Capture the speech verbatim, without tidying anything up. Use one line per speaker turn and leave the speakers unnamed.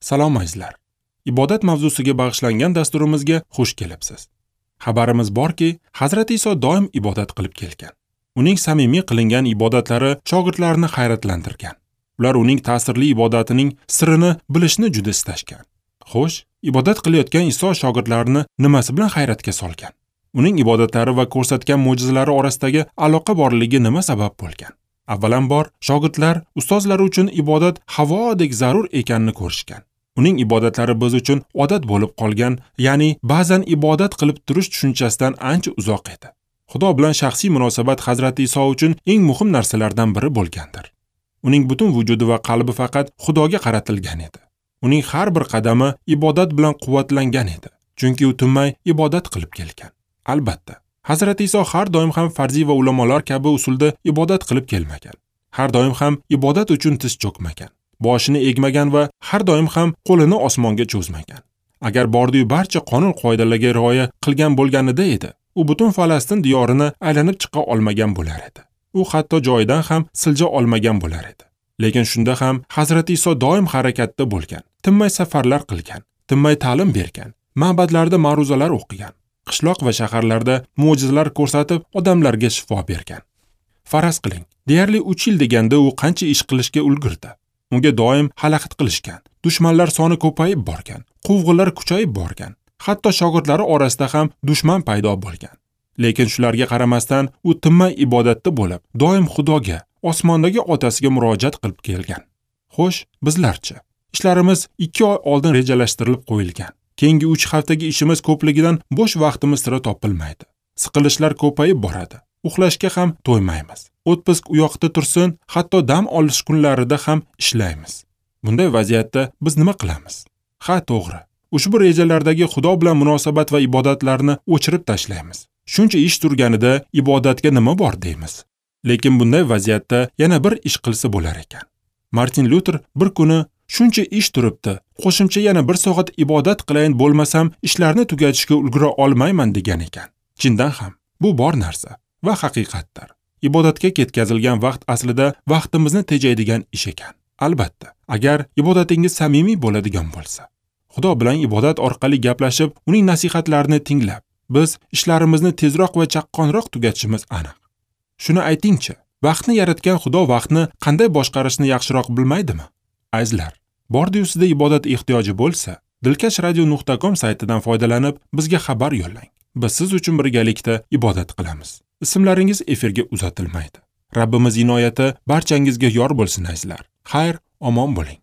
Salom azizlar. Ibodat mavzusiga bag'ishlangan dasturimizga xush kelibsiz. Xabarimiz borki, Hazrati Iso doim ibodat qilib kelgan. Uning samimiy qilingan ibodatlari shogirdlarini hayratlantirgan. Ular uning ta'sirli ibodatining sirini bilishni juda istashgan. Xo'sh, ibodat qilayotgan Iso shogirdlarini nimasi bilan hayratga solgan? Uning ibodatlari va ko'rsatgan mo'jizalari orasidagi aloqa borligi nima sabab bo'lgan? Avvalambor, shogirdlar ustozlari uchun ibodat havodek zarur ekanini ko'rishgan. Uning ibodatlari biz uchun odat bo'lib qolgan, ya'ni ba'zan ibodat qilib turish tushunchasidan ancha uzoq edi. Xudo bilan shaxsiy munosabat Hazrati Iso uchun eng muhim narsalardan biri bo'lgandir. Uning butun vujudi va qalbi faqat Xudoga qaratilgan edi. Uning har bir qadami ibodat bilan quvvatlangan edi, chunki u tinmay ibodat qilib kelgan. Albatta, Hazrati Iso har doim ham farziy va ulamolar kabi usulda ibodat qilib kelmagan. Har doim ham ibodat uchun tiz cho'kmagan, boshini egmagan va har doim ham qo'lini osmonga cho'zmagan. Agar bordiyu barcha qonun qoidalarga rioya qilgan bo'lganida edi, u butun Falastin diyorini aylanib chiqa olmagan bo'lar edi. U hatto joyidan ham silja olmagan bo'lar edi. Lekin shunda ham Hazrati Iso doim harakatda bo'lgan, tinmay safarlar qilgan, tinmay ta'lim bergan, ma'badlarda ma'ruzalar o'qigan, qishloq va shaharlarda mo'jizalar ko'rsatib odamlarga shifo bergan. Faraz qiling, deyarli uch yil deganda u qancha ish qilishga ulgurdi. Unga doim xalaqit qilishgan, dushmanlar soni ko'payib borgan, quvg'inlar kuchayib borgan, hatto shogirdlari orasida ham dushman paydo bo'lgan. Lekin shularga qaramasdan u tinmay ibodatda bo'lib, doim Xudoga, osmondagi otasiga murojaat qilib kelgan. Xo'sh, bizlarchi? Ishlarimiz ikki oy oldin rejalashtirilib qo'yilgan. Keyingi uch haftagi ishimiz ko'pligidan bo'sh vaqtimiz sira topilmaydi. Siqilishlar ko'payib boradi. Uxlashga ham to'ymaymiz. O'tpisk u yoqda tursin, hatto dam olish kunlarida ham ishlaymiz. Bunday vaziyatda biz nima qilamiz? Ha, to'g'ri. Ushbu rejalardagi Xudo bilan munosabat va ibodatlarni o'chirib tashlaymiz. Shuncha ish turganida ibodatga nima bor deymiz. Lekin bunday vaziyatda yana bir ish qilsa bo'lar ekan. Martin Luther bir kuni shuncha ish turibdi, qo'shimcha yana bir soat ibodat qilayin, bo'lmasam ishlarni tugatishga ulgura olmayman degan ekan. Chindan ham bu bor narsa va haqiqatdir. Ibodatga ketkazilgan vaqt aslida vaqtimizni tejaydigan ish ekan. Albatta, agar ibodatingiz samimiy bo'ladigan bo'lsa. Xudo bilan ibodat orqali gaplashib, uning nasihatlarini tinglab, biz ishlarimizni tezroq va chaqqonroq tugatishimiz aniq. Shuni aytingchi, vaqtni yaratgan Xudo vaqtni qanday boshqarishni yaxshiroq bilmaydimi? Azizlar, bordiyu sizda ibodat ehtiyoji bo'lsa, dilkash radio nuqta com saytidan foydalanib bizga xabar yo'llang. Biz siz uchun birgalikda ibodat qilamiz. Ismlaringiz efirga uzatilmaydi. Rabbimiz inoyati barchangizga yor bo'lsin azizlar. Xayr, omon bo'ling.